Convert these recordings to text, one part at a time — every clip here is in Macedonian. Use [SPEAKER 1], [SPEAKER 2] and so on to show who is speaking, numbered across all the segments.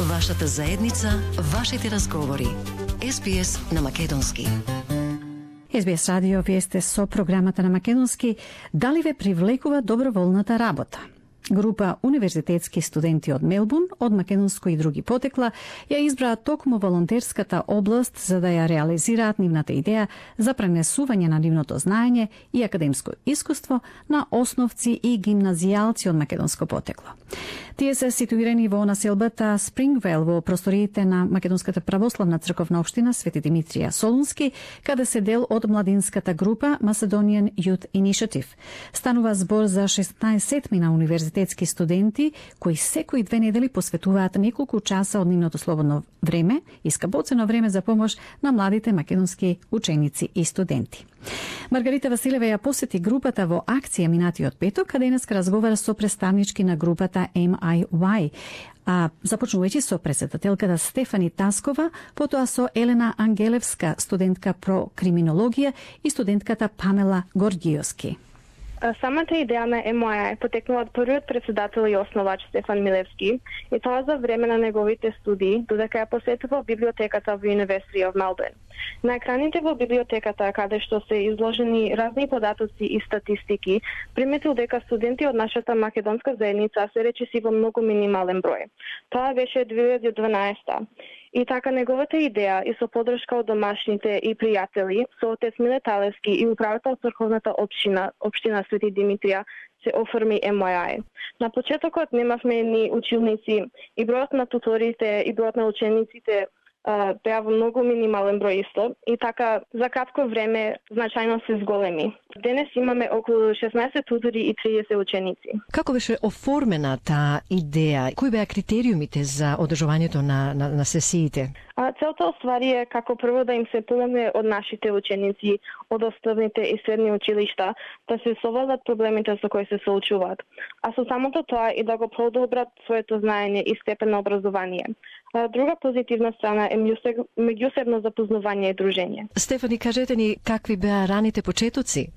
[SPEAKER 1] Вашата заедница, вашите разговори. SBS на македонски.
[SPEAKER 2] SBS радио, вие сте со програмата на македонски. Дали ве привлекува доброволната работа? Група универзитетски студенти од Мелбурн, од македонско и други потекла, ја избраа токму волонтерската област за да ја реализираат нивната идеја за пренесување на нивното знаење и академско искуство на основци и гимназијалци од македонско потекло. Тие се ситуирани во населбата Спрингвейл во просториите на Македонската православна црковна општина Свети Димитрија Солунски, каде се дел од младинската група Macedonian Youth Initiative. Станува збор за 16 на универзитетски студенти кои секои 2 недели посветуваат неколку часа од нивното слободно време и скапоцено време за помош на младите македонски ученици и студенти. Маргарита Василева ја посети групата во акција минатиот петок, каде денеска разговара со представнички на групата MIY, започнувајќи со претседателката Стефани Таскова, потоа со Елена Ангелевска, студентка про криминологија, и студентката Памела Горгиоски.
[SPEAKER 3] Самата идеја на MIY потекнува од првиот претседател и основач Стефан Милевски, и тоа за време на неговите студии, додека ја посетувал библиотеката во University of Melbourne. На екраните во библиотеката, каде што се изложени разни податоци и статистики, приметил дека студенти од нашата македонска заедница се речиси во многу минимален број. Тоа беше 2012. И така неговата идеја и со поддршка од домашните и пријатели, со отец Миле Талевски и управител црковната општина Свети Димитрија, се оформи MIY. На почетокот немавме ни училници и бројот на туторите и бројот на учениците беа во многу минимален број исто, и така за кратко време значајно се зголеми. Денес имаме околу 16 тутори и 30 ученици.
[SPEAKER 4] Како беше оформена таа идеја? Кои беа критериумите за одржувањето на сесиите?
[SPEAKER 3] Целта оствари е како прво да им се помогне од нашите ученици од основните и средни училишта да се совладат проблемите со кои се соочуваат, а со самото тоа и да го продобрат своето знаење и степен на образование. Друга позитивна страна е меѓусебно запознавање и дружење.
[SPEAKER 4] Стефани, кажете ни какви беа раните почетоци?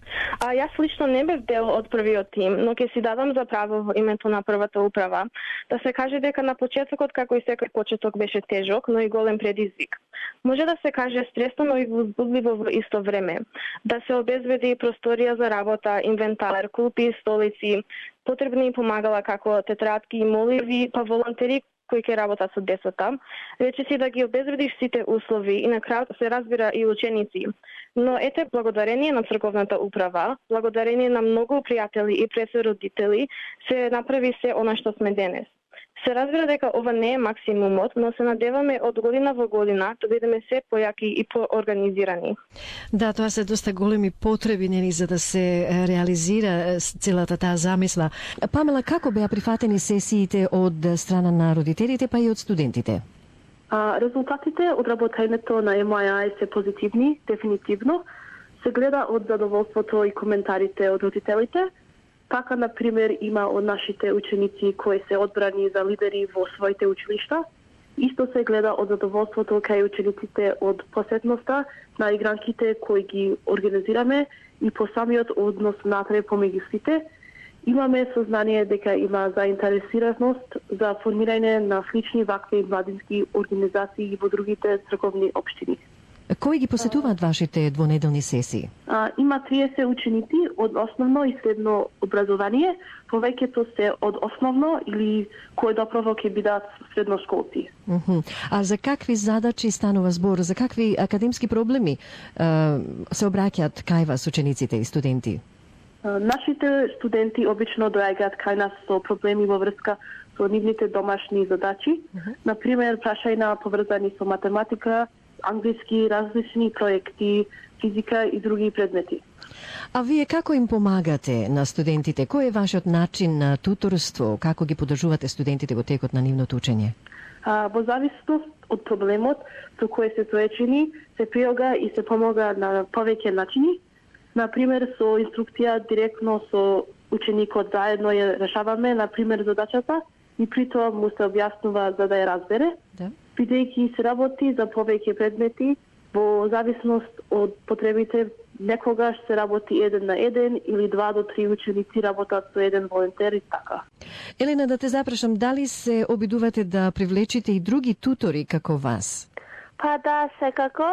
[SPEAKER 3] Јас лично не бев дел од првиот тим, но ќе си дадам за право во името на првата управа да се каже дека на почетокот, како и секој почеток, беше тежок, но и голем предизвик. Може да се каже стресно, но и возбудливо во исто време. Да се обезбеди просторија за работа, инвентар, клупи, столици, потребни помагала како тетрадки и моливи, па волонтери кои ќе работат со децата, речиси да ги обезбедиш сите услови и на крајот се разбира и ученици. Но ете, благодарение на црковната управа, благодарение на многу пријатели и пресородители, се направи се она што сме денес. Се разбира дека ова не е максимумот, но се надеваме од година во година да бидеме се појаки и поорганизирани.
[SPEAKER 4] Да, тоа се доста големи потреби нели за да се реализира целата таа замисла. Памела, како беа прифатени сесиите од страна на родителите па и од студентите?
[SPEAKER 5] Резултатите од работењето на MIY се позитивни, дефинитивно. Се гледа од задоволството и коментарите од родителите. Така, например, има од нашите ученици кои се одбрани за лидери во своите училишта. Исто се гледа од задоволството кај учениците од посетноста на игранките кои ги организираме и по самиот однос натре помеѓу сите. Имаме сознание дека има заинтересираност за формирање на слични вакви младински организации во другите црковни општини.
[SPEAKER 4] Кои ги посетуваат вашите двонеделни сесии?
[SPEAKER 5] Има 30 ученици од основно и средно образование, повеќето се од основно или кои доправо ќе бидат средношколци.
[SPEAKER 4] А за какви задачи станува збор? За какви академски проблеми се обраќаат кај вас учениците и студенти?
[SPEAKER 5] Нашите студенти обично доаѓаат кај нас со проблеми во врска со нивните домашни задачи, например прашања поврзани со математика, англиски, различни проекти, физика и други предмети.
[SPEAKER 4] А вие како им помагате на студентите? Кој е вашиот начин на туторство? Како ги поддржувате студентите во текот на нивното учење?
[SPEAKER 5] Во зависност од проблемот со кој се соочени, се прилага и се помага на повеќе начини. Например, со инструкција директно со ученикот заедно ја решаваме, например, задачата и при тоа му се објаснува за да ја разбере. Да. Бидејќи се работи за повеќе предмети, во зависност од потребите некогаш се работи 1 на 1 или 2 до 3 ученици работат со еден волонтер и така.
[SPEAKER 4] Елена, да те запрашам, дали се обидувате да привлечите и други тутори како вас?
[SPEAKER 6] Па да, секако.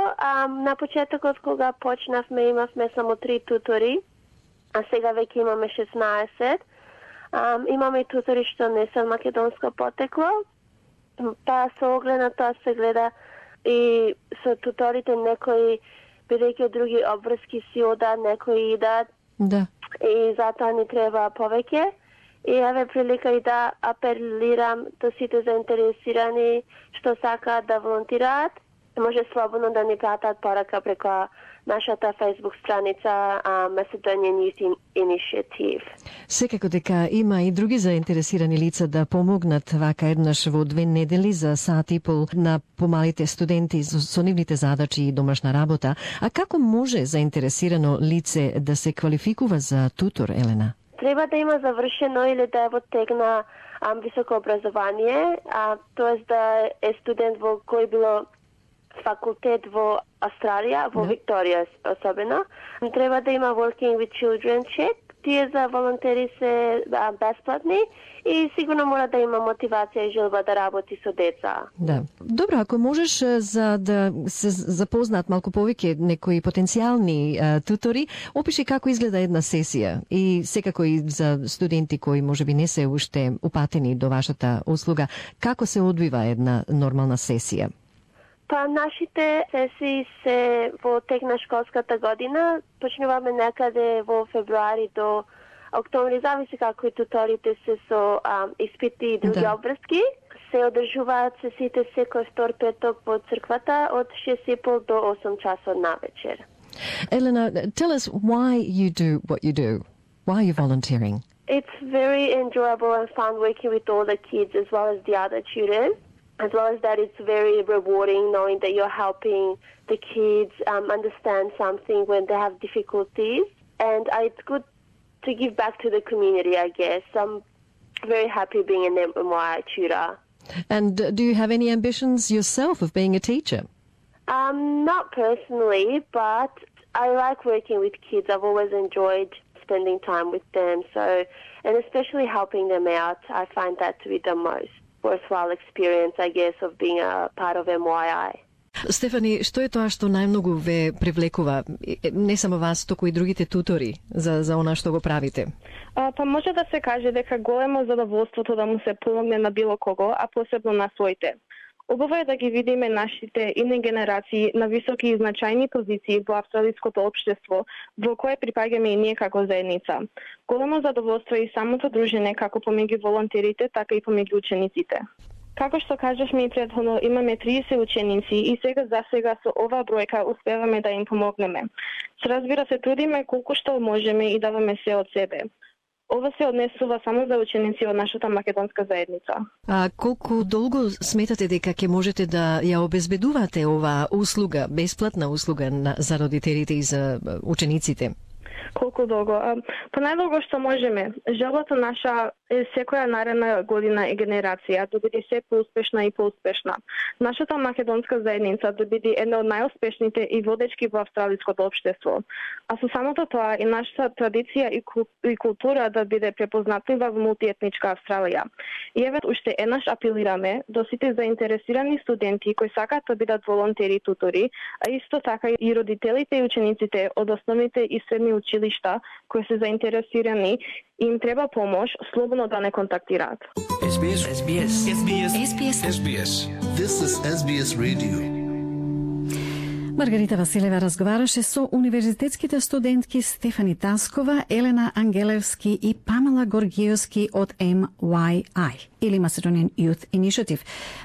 [SPEAKER 6] На почетокот кога почнавме имавме само 3 тутори, а сега веќе имаме 16. Имаме и тутори што не се македонско потекло. Па со оглед на тоа се гледа и со туторите некои, бидејќи други обврски си одат, некои идат.
[SPEAKER 4] Да.
[SPEAKER 6] И затоа ни треба повеќе. И еве прилика и да апелирам до сите заинтересирани што сакаат да волонтираат. Може слободно да ни пратат порака преку нашата Facebook страница Macedonian Youth Initiative.
[SPEAKER 4] Секако дека има и други заинтересирани лица да помогнат вака еднаш во 2 недели за сат и пол на помалите студенти со нивните задачи и домашна работа. А како може заинтересирано лице да се квалификува за тутор, Елена?
[SPEAKER 6] Треба да има завршено или да е во тек на високо образование, тоест да е студент во кој било факултет во Австралија, во Викторија особено. Треба да има Working with Children check. Тие за волонтери се бесплатни и сигурно мора да има мотивација и желба да работи со деца.
[SPEAKER 4] Да. Добро, ако можеш за да се запознаат малку повеќе некои потенцијални тутори, опиши како изгледа една сесија и секако и за студенти кои можеби не се уште упатени до вашата услуга, како се одвива една нормална сесија?
[SPEAKER 6] Па нашите сесии се во тек на школската година. Почнуваме некаде во февруари до октомври, зависи како и туторите се со испити и други обврски. Се одржуваат сесиите секој втор петок во црквата од 6:30 до 8 часот навечер.
[SPEAKER 4] Elena, tell us why you do what you do. Why are you volunteering?
[SPEAKER 6] It's very enjoyable and fun working with all the kids as well as the other tutors. As well as that, it's very rewarding knowing that you're helping the kids understand something when they have difficulties. And it's good to give back to the community, I guess. I'm very happy being an MY tutor.
[SPEAKER 4] And do you have any ambitions yourself of being a teacher?
[SPEAKER 6] Not personally, but I like working with kids. I've always enjoyed spending time with them. And especially helping them out, I find that to be the most worthwhile experience, I guess, of being a part of MYI.
[SPEAKER 4] Стефани, што е тоа што најмногу ве привлекува, не само вас, току и другите тутори за она што го правите?
[SPEAKER 3] Па може да се каже дека големо задоволството да му се помогне на било кого, а посебно на своите. Убаво е да ги видиме нашите идни генерации на високи и значајни позиции во австралиското општество, во кое припаѓаме и ние како заедница. Големо задоволство е и самото дружење како помеѓу волонтерите, така и помеѓу учениците. Како што кажавме и претходно, имаме 30 ученици и за сега со оваа бројка успеваме да им помогнеме. Се разбира се трудиме колку што можеме и даваме се од себе. Ова се однесува само за ученици од нашата македонска заедница.
[SPEAKER 4] А колку долго сметате дека ќе можете да ја обезбедувате оваа услуга, бесплатна услуга за родителите и за учениците?
[SPEAKER 3] Колку долго? Па најдолго што можеме. Желбата наша е секоја наредна година и генерација да биде се поуспешна и поуспешна. Нашата македонска заедница да биде една од најуспешните и водечки во австралиското општество. А со самото тоа и нашата традиција и култура да биде препознатлива во мултиетничка Австралија. И еве уште еднаш апелираме до сите заинтересирани студенти кои сакаат да бидат волонтери и тутори, а исто така и родителите и учениците од основните и средни училишта кои се заинтересирани и им треба помош, слободно да не контактираат.
[SPEAKER 7] SBS. This is SBS Radio.
[SPEAKER 2] Маргарита Василева разговараше со универзитетските студентки Стефани Таскова, Елена Ангелевски и Памела Горгиевски од MYI или Macedonian Youth Initiative.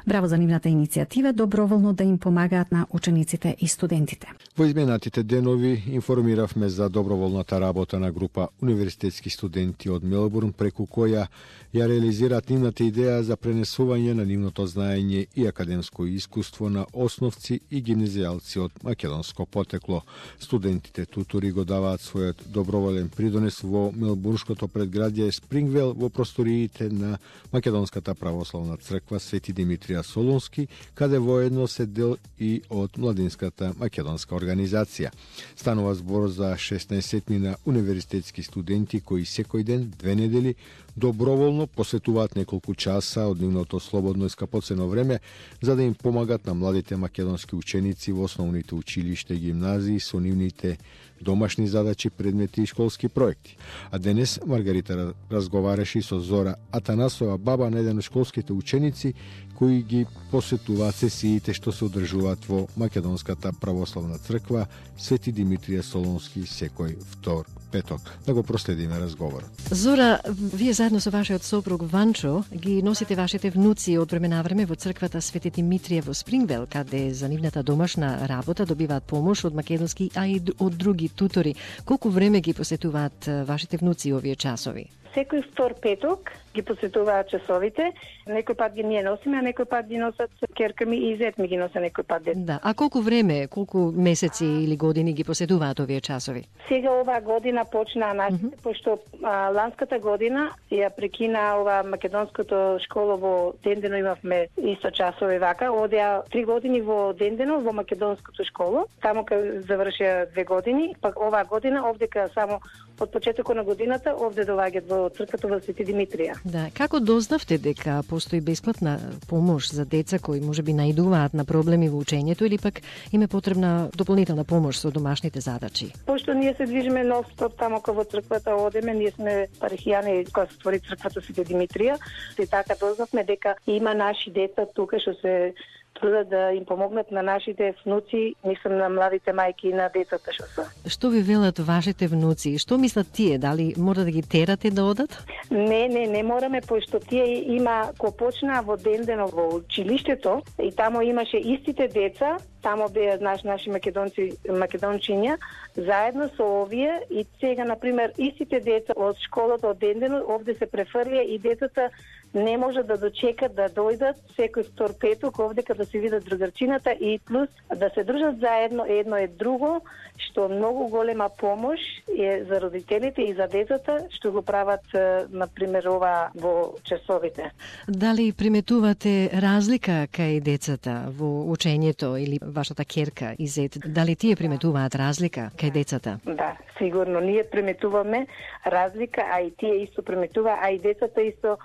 [SPEAKER 2] Браво за нивната иницијатива доброволно да им помагаат на учениците и студентите.
[SPEAKER 8] Во изминатите денови информиравме за доброволната работа на група универзитетски студенти од Мелбурн, преку која ја реализираат нивната идеја за пренесување на нивното знаење и академско искуство на основци и гимназијалци од македонско потекло. Студентите тутори го даваат својот доброволен придонес во мелбурнското предградје Спрингвел во просториите на Македонската православна црква Свети Димитрија Солунски, каде воедно се дел и од младинската македонска организација. Станува збор за 16 универзитетски студенти кои секој ден, 2 недели, доброволно посветуваат неколку часа од нивното слободно и скапоцено време за да им помагат на младите македонски ученици во основните училишта и гимназии со нивните домашни задачи, предмети и школски проекти. А денес Маргарита разговараше со Зора Атанасова, баба на еден од школските ученици кои ги посетуваат сесиите што се одржуваат во Македонската православна црква Свети Димитрија Солунски секој втор петок. Да го проследиме разговорот.
[SPEAKER 4] Зора, вие заедно со вашиот сопруг Ванчо ги носите вашите внуци од време на време во црквата Свети Димитрија во Спрингвел, каде за нивната домашна работа добиваат помош од македонски, а и од други тутори. Колку време ги посетуваат вашите внуци овие часови?
[SPEAKER 9] Секој втор петок ги посетуваат часовите. Некој пат ги ние носиме, а некој пат ги носат керка ми и зет ми ги носа некој пат дет.
[SPEAKER 4] Да, а колку време, колку месеци или години ги посетуваат овие часови?
[SPEAKER 9] Сега оваа година почнаа нашите, пошто ланската година ја прекина ова македонското школа во Дендено, имавме исто часови вака. Одеа 3 години во Дендено во македонското школа. Таму кај завршија 2 години, пак оваа година овдека само од почетокот на годината овде доаѓаат во црквата во Свети Димитрија.
[SPEAKER 4] Да, како дознавте дека постои бесплатна помош за деца кои можеби наидуваат на проблеми во учењето или пак им е потребна дополнителна помош со домашните задачи?
[SPEAKER 9] Пошто ние се движиме нон-стоп тамо кај во црквата одеме, ние сме парихијани кога се створи црквата Свети Димитрија, и така дознавме дека има наши деца тука што се трудат да им помогнат на нашите внуци, мислам на младите мајки и на децата што се.
[SPEAKER 4] Што ви велат вашите внуци? Што мислат тие? Дали мора да ги терате да одат?
[SPEAKER 9] Не мораме, пошто тие има ко почнаа во Дендено во училиштето и тамо имаше истите деца, тамо беа наши македончиња, заедно со овие и сега на пример истите деца од школата од Дендено овде се префрлија и децата не може да дочекат да дојдат секој втор петок овде да се видат другарчината и плюс да се дружат заедно едно и друго, што многу голема помош е за родителите и за децата што го прават на пример ова во часовите.
[SPEAKER 4] Дали приметувате разлика кај децата во учењето или вашата керка и зет? Дали тие приметуваат разлика кај децата?
[SPEAKER 9] Да, сигурно ние приметуваме разлика, а и тие исто приметува, а и децата исто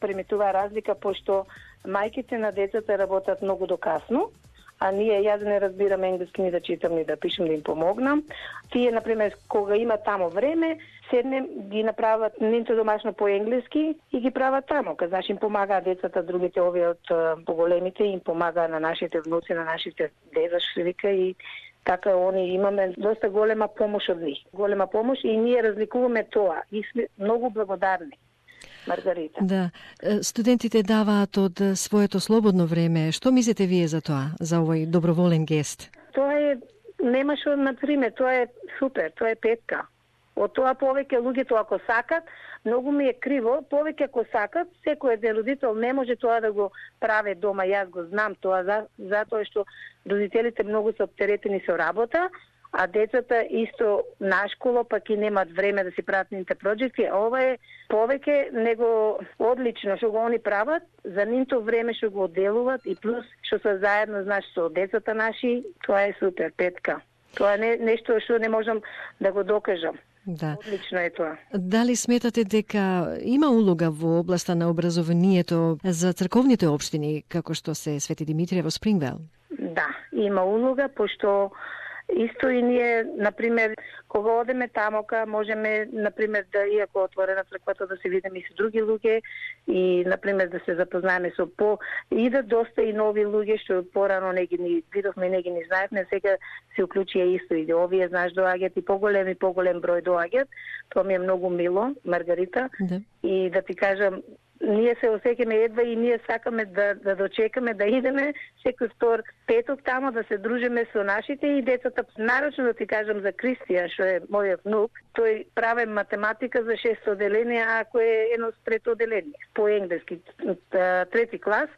[SPEAKER 9] приметува разлика, пошто мајките на децата работат многу до касно, а јас не разбирам енглески ни да читам ни да пишам да им помогнам. Тие, например, кога има тамо време, седнем, ги направат нинто домашно по енглески и ги прават тамо. Значи им помагаат децата, другите овие од поголемите им помагаат на нашите внуци, на нашите деца, што вика, и така они имаме доста голема помош од нив. Голема помош и ние разликуваме тоа и сме многу благодарни. Маргарита.
[SPEAKER 4] Да, студентите даваат од своето слободно време. Што мислите вие за тоа, за овој доброволен гест?
[SPEAKER 9] Тоа е, нема што, например, тоа е супер, тоа е петка. Од тоа повеќе луѓето ако сакат, многу ми е криво, повеќе ако сакат, секој еден родител не може тоа да го прави дома, јас го знам тоа, затоа што родителите многу се оптеретени со работа, а децата исто на школа пак и немат време да си прават нивните проекти. Ова е повеќе него одлично што го они прават, за нивното време што го одделуваат и плюс што се заедно, знаеш, со децата наши, тоа е супер, петка. Тоа е нешто што не можам да го докажам.
[SPEAKER 4] Да.
[SPEAKER 9] Одлично е тоа.
[SPEAKER 4] Дали сметате дека има улога во областа на образованието за црковните општини, како што се Свети Димитрија во Спрингвел?
[SPEAKER 9] Да, има улога, пошто исто и ние, например, кога одеме тамока, можеме, например, да, иако отворена црквата, да се видиме и со други луѓе и, например, да се запознаеме со идат доста и нови луѓе, што порано не ги видовме, не ги ни знаевме, сега се уклучија исто и овие, знаеш, доаѓаат и поголем број доаѓаат. Тоа ми е многу мило, Маргарита.
[SPEAKER 4] Да.
[SPEAKER 9] И да ти кажам, ние се осеќаме едва и ние сакаме да дочекаме да идеме секој втор петок тамо да се дружиме со нашите и децата. Нарочно да ти кажам за Кристијан, што е мојот внук, тој прави математика за 6 оделение, ако е едно трето оделение по енглески, 3 клас,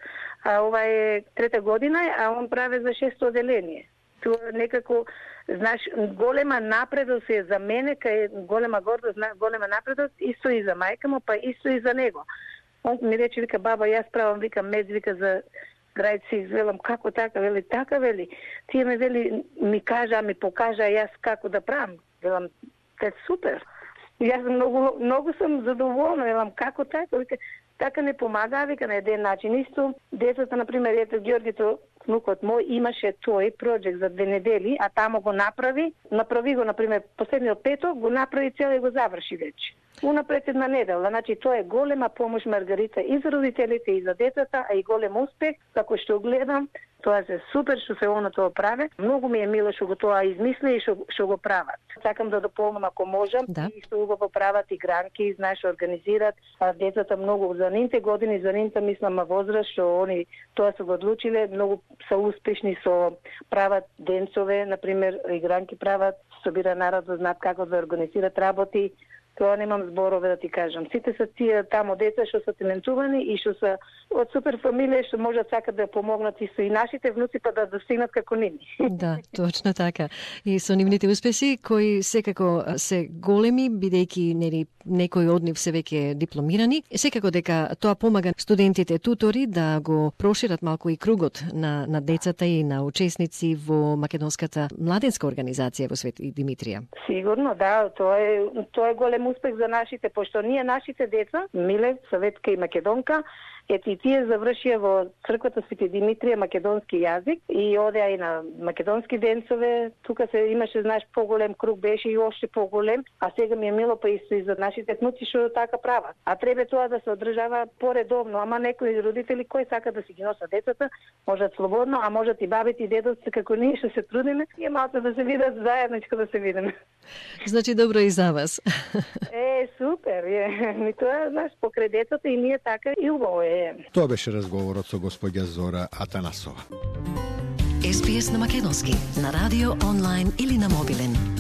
[SPEAKER 9] а ова е 3 година, а он прави за 6 оделение. Тоа некако, знаеш, голема напредост е за мене, кај голема гордост, голема напредост, исто и за мајка му, па исто и за него. Он ми рече, вика, баба, јас правам, вика, мед, вика, за грајци, велам, како така, вели, така, вели. Тие ме, вели, ми кажа, ми покажа јас како да правам. Велам, те супер. Јас многу сум задоволна, велам, како така, вика, така не помага, вика, на еден начин. Исто, децата, например, ето Ѓоргито, внукот мој, имаше тој проект за 2 недели, а тамо го направи го, например, последниот петок, го направи цел и го заврши веќе. Унапред една недела, значи тоа е голема помош, Маргарита, и за родителите, и за децата, а и голем успех, како што гледам, тоа се супер што се она тоа прави. Многу ми е мило што го тоа измисли и што го прават. Сакам да дополнам ако можам, и што го прават и гранки, знаеш, организират децата многу за нивните години, за нивната мислам возраст, што они тоа се го одлучиле, многу се успешни со прават денцове, например, и гранки прават, собира народ да знаат како да организират работи. Тоа немам зборове да ти кажам. Сите се тие тамо деца што се талентувани и што се од супер фамилија што можат сакат да помогнат и со и нашите внуци па да достигнат како нивни.
[SPEAKER 4] Да, точно така. И со нивните успеси кои секако се големи, бидејќи некои од нив се веќе дипломирани, секако дека тоа помага студентите тутори да го прошират малку и кругот на децата и на учесници во македонската младенска организација во Свети Димитрија.
[SPEAKER 9] Сигурно, да, тоа е голем успех за нашите, пошто ние нашите деца, Миле, Саветка и Македонка, ето и тие завршија во црквата Свети Димитрија македонски јазик и одеа и на македонски денцове. Тука се имаше, знаеш, поголем круг беше и още поголем, а сега ми е мило па и за нашите внуци што така прават. А треба тоа да се одржава поредовно, ама некои родители кои сакат да си ги носат децата, можат слободно, а можат и бабите и дедовци како ние што се трудиме, и малку да се видат заедничко да се видиме.
[SPEAKER 4] Значи добро и за вас.
[SPEAKER 9] Супер, ми тоа, знаеш, покрај децата и ние така и убаво е.
[SPEAKER 8] Тоа беше разговорот со господја Зора Атанасова.
[SPEAKER 1] SBS на македонски, на радио, онлайн или на мобилен.